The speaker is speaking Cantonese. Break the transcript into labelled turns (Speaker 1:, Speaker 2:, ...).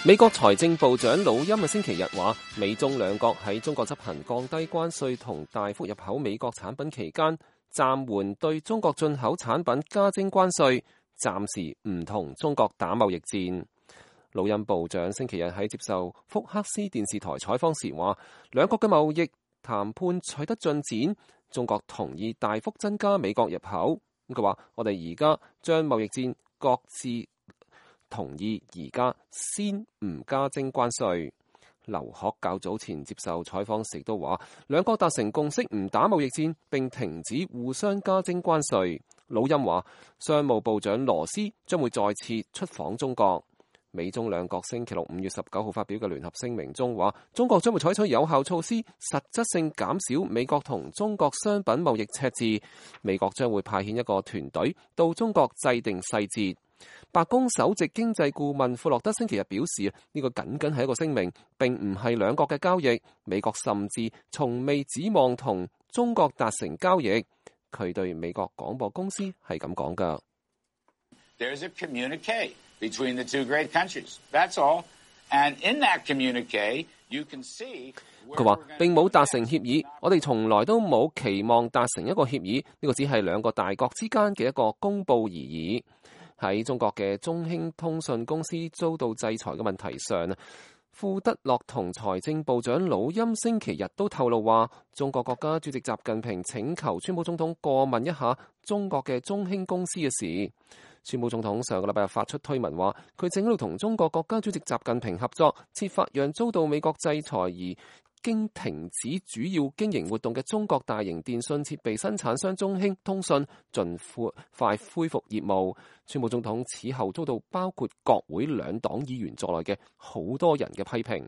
Speaker 1: 美國財政部長魯欽星期日話，美中兩國喺中國執行降低關稅同大幅入口美國產品期間，暫緩對中國進口產品加徵關稅，暫時唔同中國打貿易戰。魯欽部長星期日喺接受福克斯電視台採訪時話，兩國嘅貿易談判取得進展，中國同意大幅增加美國入口。佢話：我哋而家將貿易戰各自同意，而家先唔加徵關稅。劉鶴較早前接受採訪時都話，兩國達成共識唔打貿易戰並停止互相加徵關稅。魯欽話，商務部長羅斯將會再次出訪中國。美中兩國星期六5月19號發表嘅聯合聲明中話，中國將會採取有效措施，實質性減少美國同中國商品貿易赤字。美國將會派遣一個團隊到中國制定細節。白宮首席經濟顧問庫洛德星期日表示，呢個僅僅係一個聲明，並唔係兩國嘅交易。美國甚至從未指望同中國達成交易。佢對美國廣播公司係咁講㗎。
Speaker 2: There's a communique between the two great countries. That's all. And in that communique, you can see.
Speaker 1: 佢話並冇達成協議，我哋從來都冇期望達成一個協議。呢個只係兩個大國之間嘅一個公佈而已。喺中國嘅中興通訊公司遭到制裁嘅問題上，庫德洛同財政部長魯欽星期日都透露話，中國國家主席習近平請求川普總統過問一下中國嘅中興公司嘅事。川普總統上個禮拜日發出推文話，佢正喺度同中國國家主席習近平合作，設法讓遭到美國制裁而經停止主要經營活動嘅中國大型電信設備生產商中興通訊盡快恢復業務。川普總統此後遭到包括國會兩黨議員在內嘅好多人嘅批評。